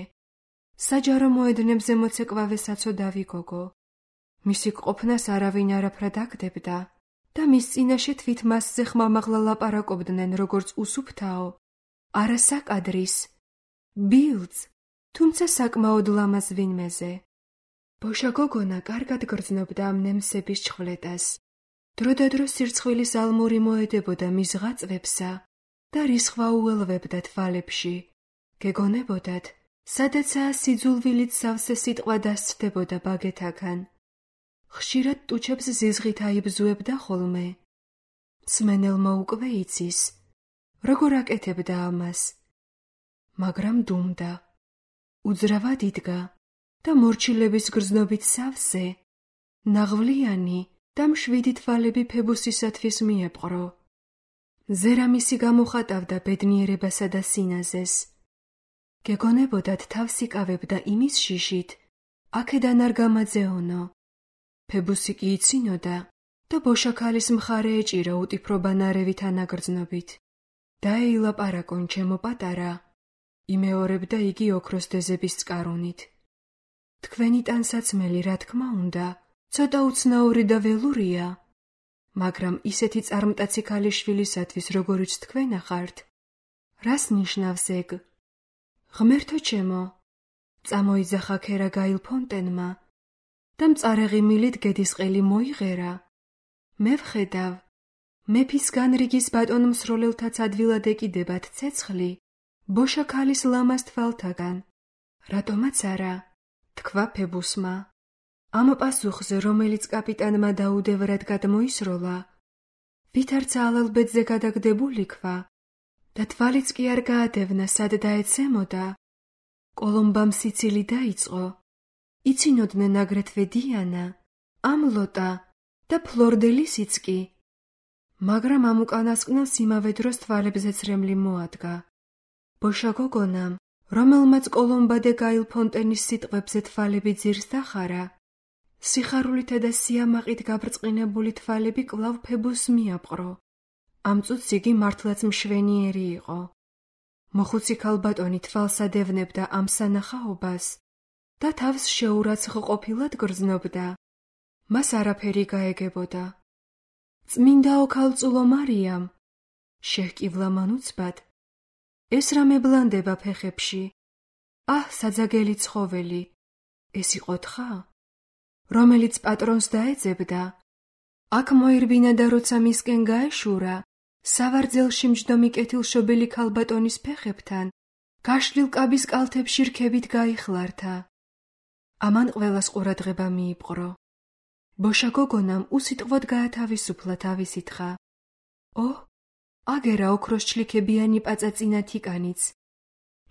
საჯარო მოედნებზე მოცეკვავე საცოდავი გოგო. მისი ყოფნას არავინ არაფრად აგდებდა და მის წინაშე თვით მასზე ხმამაღლა ლაპარაკობდნენ როგორც უსუფთაო, არასაკადრის, ბილწ, თუმცა საკმაოდ ლამაზ ვინმეზე. ბოშა გოგონა კარგად გრძნობდა ამ ნემსების ჩხვლეტას დროდადრო სირცხვილის ალმური მოედებოდა მის ღაწვებსა და რისხვა უელვებდა თვალებში. გეგონებოდათ, სადაცაა სიძულვილით სავსე სიტყვა დასცდებოდა ბაგეთაგან. ხშირად ტუჩებს ზიზღით აიბზუებდა ხოლმე. მსმენელმა უკვე იცის, როგორ აკეთებდა ამას. მაგრამ დუმდა. უძრავად იდგა და მორჩილების გრძნობით სავსე, ნაღვლიანი და მშვიდი თვალები ფებუსისათვის მიეპყრო. ზერამისი გამოხატავდა ბედნიერებასა და სინაზეს. გეგონებოდათ თავს იკავებდა იმის შიშით, აქედან არ გამაძეონო. ფებუსი კი იცინოდა და ბოშაქალის მხარე ეჭირა უტიფრობანარევით ანაგრძნობით. დაეილაპარაკონ ჩემო პატარა, იმეორებდა იგი ოქროს დეზების წყარუნით. თქვენი ტანსაცმელი, რა თქმა უნდა, ცოტა უცნაური და ველურია, მაგრამ ისეთი წარმტაცი ქალიშვილისათვის, როგორიც თქვენ ახართ, რას ნიშნავს ეგ? ღმერთო ჩემო, წამოიძახა ქერა გაილფონტენმა და მწარე ღიმილით გედისყელი მოიღერა. მე ვხედავ, მეფის განრიგის ბატონ მსროლელთაც ადვილად ეკიდებათ ცეცხლი ბოშაქალის ლამაზ თვალთაგან. რატომაც არა, თქვა ფებუსმა. ამ პასუხზე, რომელიც კაპიტანმა დაუდევრად გადმოისროლა, ვითარც ალალბედზე გადაგდებული ქვა და თვალიც კი არ გაადევნა, სად დაეცემოდა, კოლომბამ სიცილი დაიწყო. იცინოდნენ აგრეთვე დიანა, ამლოტა და ფლორდელისიც კი, მაგრამ ამ უკანასკნელს იმავე დროს თვალებზე ცრემლი მოადგა. ბოშა გოგონამ, რომელმაც კოლომბა დე გაილფონტენის სიტყვებზე თვალები ძირს დახარა, სიხარულითა და სიამაყით გაბრწყინებული თვალები კვლავ ფებუსს მიაპყრო. ამ წუთს იგი მართლაც მშვენიერი იყო. მოხუცი ქალბატონი თვალს ადევნებდა ამ სანახაობას და თავს შეურაცხყოფილად გრძნობდა. მას არაფერი გაეგებოდა. წმინდაო ქალწულო მარიამ, შეჰკივლა მან უცბად, ეს რა მებლანდება ფეხებში? აჰ, საძაგელი ცხოველი, ეს იყო თხა, რომელიც პატრონს დაეძებდა. აქ მოირბინა და როცა მისკენ გაეშურა, სავარძელში მჯდომი კეთილშობილი ქალბატონის ფეხებთან, გაშლილ კაბის კალთებში რქებით გაიხლართა. ამან ყველას ყურადღება მიიპყრო. ბოშა გოგონამ უსიტყვოდ გაათავისუფლა თავისი თხა. ო, აგერა ოქროს ჩლიქებიანი პაწაწინა თიკანიც.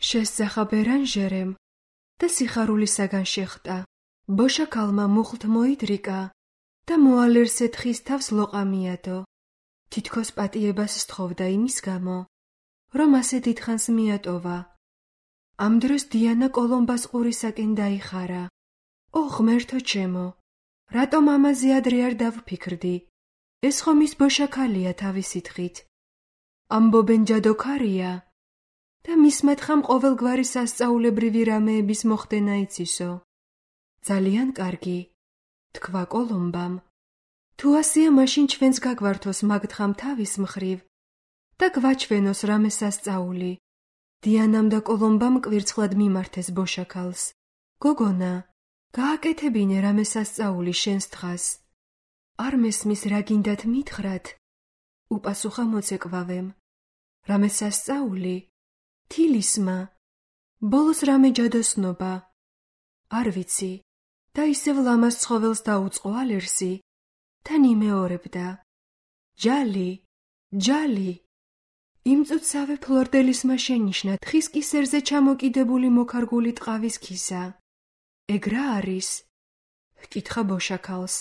შესძახა ბერანჟერემ და სიხარულისაგან შეხტა. ბოშა ქალმა მუხლთ მოიდრიკა და მოალერსე თხის თავს ლოყა მიადო. თითქოს პატიებას სთხოვდა იმის გამო, რომ ასე დიდხანს მიატოვა. ამ დროს დიანა კოლომბას ყურისაკენ დაიხარა. ო, ღმერთო ჩემო, რატომ ამაზე ადრე არ დავფიქრდი? ეს ხომ ის ბოშა ქალია თავისი თხით. ამბობენ ჯადოქარია და მისმა თხამ ყოველგვარი სასწაულებრივი რამეების მოხდენა იცისო. ძალიან კარგი, თქვა კოლომბამ. თუ ასეა, მაშინ ჩვენს გაგვართოს მაგ თხამ თავის მხრივ და გვაჩვენოს რამე სასწაული. დიანამ და კოლომბამ კვირცხლად მიმართეს ბოშა ქალს. გოგონა, გააკეთებინე რამე სასწაული შენს თხას. არ მესმის რა გინდათ მითხრათ? უპასუხა მოცეკვავემ. რამე სასწაული? თილისმა. ბოლოს რამე ჯადოსნობა? არ ვიცი. და ისევ ლამაზ ცხოველს დაუწყო ალერსი. თან იმეორებდა. ჯალი, ჯალი. იმ წუთსავე ფლორდელისმა შენიშნა თხის კისერზე ჩამოკიდებული მოქარგული ტყავის ქისა. ეგ რა არის? ჰკითხა ბოშა ქალს.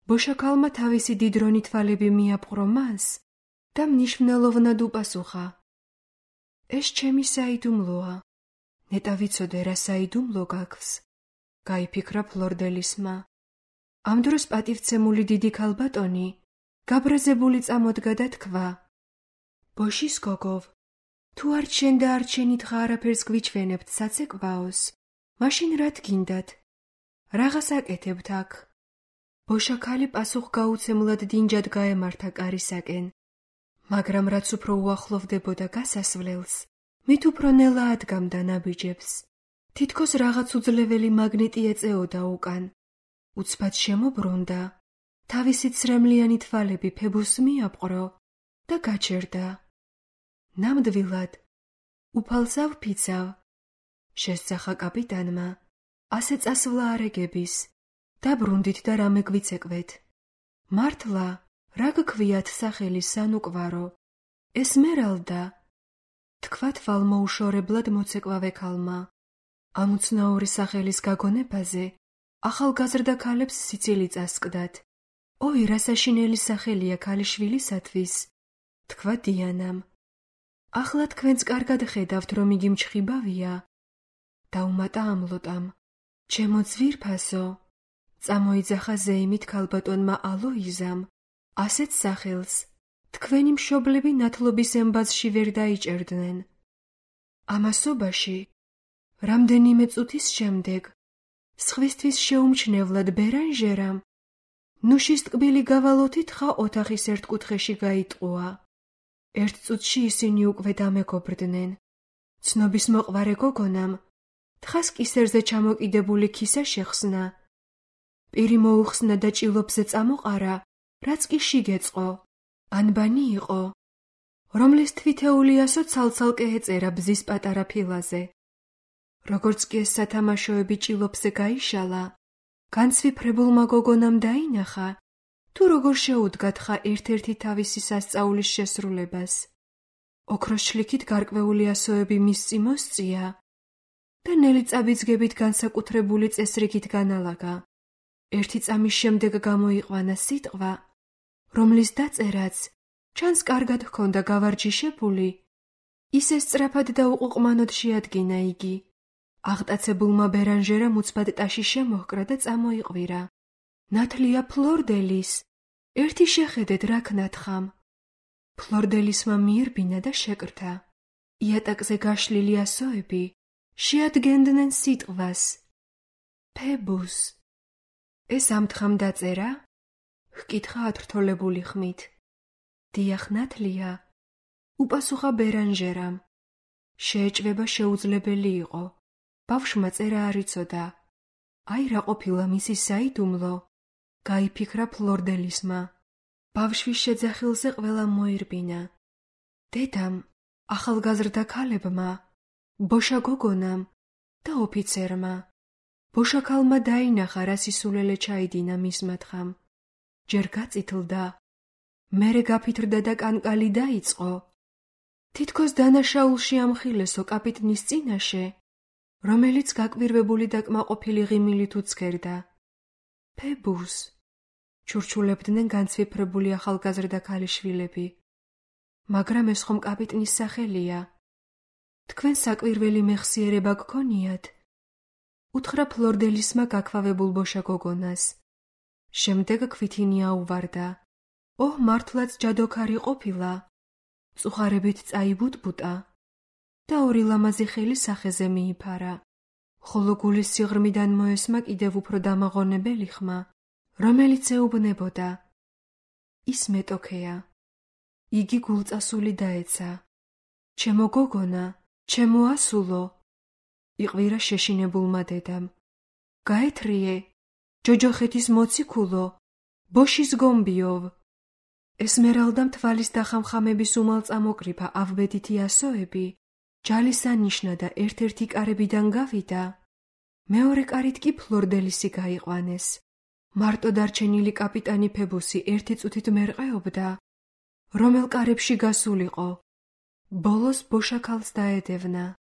ბოშა ქალმა თავისი დიდრონი თვალები მიაპყრო მას და მნიშვნელოვნად უპასუხა. ეს ჩემი საიდუმლოა. ნეტა ვიცოდე რა საიდუმლო გაქვს. გაიფიქრა ფლორდელისმა. ამ დროს პატივცემული დიდი ქალბატონი გაბრაზებული წამოდგა და თქვა. ბოშის გოგოვ, თუ არ ჩვენ და არ ჩვენი თხა არაფერს გვიჩვენებთ საცეკვაოს, მაშინ რა თქინდათ? რაღაც აკეთებთ აქ. ბოშა ქალი პასუხგაუცემლად დინჯად გაემართა კარისაკენ, მაგრამ რაც უფრო უახლოვდებოდა გასასვლელს, მით უფრო ნელა ადგამდა ნაბიჯებს. თითქოს რაღაც უძლეველი მაგნეტი ეწეოდა უკან. უცბად შემობრუნდა თავისი ცრემლიანი თვალები ფებუსს მიაპყრო და გაჩერდა. ნამდვილად, უფალსავ ფიცავ, შესძახა კაპიტანმა, ასე წასვლა არეგების, დაბრუნდით და რამე გვიცეკვეთ. მართლა, რა გქვიათ სახელი სანუკვარო, ესმერალდა, თქვათ ვალმოუშორებლად მოცეკვავე ქალმა. ამ უცნაური სახელის გაგონებაზე ახალგაზრდა ქალებს სიცილი წასკდათ. ოი, რა საშინელი სახელია ქალიშვილისათვის, თქვა დიანამ. ახლა თქვენც კარგად ხედავთ, რომ იგი მჩხიბავია. დაუმატა ამლოტამ. ჩემო ძვირფასო, წამოიძახა ზეიმით ქალბატონმა ალოიზამ, ასეთ სახელს თქვენი მშობლები ნათლობის ემბაზში ვერ დაიჭერდნენ. ამასობაში, რამდენიმე წუთის შემდეგ, სხვისთვის შეუმჩნევლად ბერანჟერამ ნუშის ტკბილი გავალოთი თხა ოთახის ერთ კუთხეში გაიტყუა. ერთ წუთში ისინი უკვე დამეგობრდნენ. ცნობის მოყვარე გოგონამ თხას კისერზე ჩამოკიდებული ქისა შეხსნა. პირი მოუხსნა და ჭილობზე წამოყარა, რაც კი შიგეწყო, ანბანი იყო, რომლის თვითეულიასო ცალ-ცალკე ეწერა ბზის პატარა ფილაზე. როგორც კი ეს სათამაშოები ჭილობზე გაიშალა, განცვიფრებულმა გოგონამ დაინახა, თუ როგორ შეუდგა თხა ერთ-ერთი თავისი სასწაულის შესრულებას. ოქროს შლიქით გარკვეული ასოები მის წიმოსწია და ნელი წაბიძგებით განსაკუთრებული წესრიგით განალაგა. ერთი წამის შემდეგ გამოიყვანა სიტყვა, რომლის დაწერაც ჩანს კარგად ჰქონდა გავარჯიშებული, ისე სწრაფად და უყუყმანოდ შეადგინა იგი. აღტაცებულმა ბერანჟერამ უცბად ტაში შემოჰკრა და წამოიყვირა. ნათლია ფლორდელის, ერთი შეხედეთ რა ქნათხამ. ფლორდელისმა მიირბინა და შეკრთა. იატაკზე გაშლილი ასოები შეადგენდნენ სიტყვას ფებუს. ეს ამთხამ დაწერა? ჰკითხა ათრთოლებული ხმით. დიახ, ნათლია, უპასუხა ბერანჟერამ. შეეჭვება შეუძლებელი იყო. ბავშვმა წერა არ იცოდა. აი რა ყოფილა მისი საიდუმლო, გაიფიქრა ფლორდელისმა. ბავშვის შეძახილზე ყველა მოირბინა. დედამ, ახალგაზრდა ქალებმა, ბოშა გოგონამ და ოფიცერმა. ბოშა ქალმა დაინახა, რა სისულელე ჩაიდინა მისმა თხამ. ჯერ გაწითლდა, მერე გაფითრდა და კანკალი დაიწყო. თითქოს დანაშაულში ამხილესო კაპიტნის წინაშე, რომელიც გაკვირვებული და კმაყოფილი ღიმილით უცქერდა. ფებუს, ჩურჩულებდნენ განცვიფრებული ახალგაზრდა ქალიშვილები. მაგრამ ეს ხომ კაპიტნის სახელია. თქვენ საკვირველი მეხსიერება გქონიათ? უთხრა ფლორდელისმა გაქვავებულ ბოშა გოგონას. შემდეგ ქვითინი აუვარდა. ოհ, მართლაც ჯადოქარი ყოფილა. წუხარებით წაიბუტბუტა და ორი ლამაზი ხელი სახეზე მიიფარა. ხოლო გულის სიღრმიდან მოესმა კიდევ უფრო დამაღონებელი ხმა, რომელიც ეუბნებოდა. ის მეტოქეა. იგი გულწასული დაეცა. ჩემო გოგონა, ჩემო ასულო, იყვირა შეშინებულმა დედამ. გაეთრიე, ჯოჯოხეთის მოციქულო, ბოშის გომბიოვ. ესმერალდამ თვალის დახამხამების უმალ წამოკრიფა ავბედითი ასოები, ჯალისანიშნა და ერთ-ერთი კარებიდან გავიდა. მეორე კარით კი ფლორდელისი გაიყვანეს. მარტო დარჩენილი კაპიტანი ფებუსი ერთი წუთით მერყეობდა, რომელ კარებში გასულიყო. ბოლოს ბოშა ქალს დაედევნა.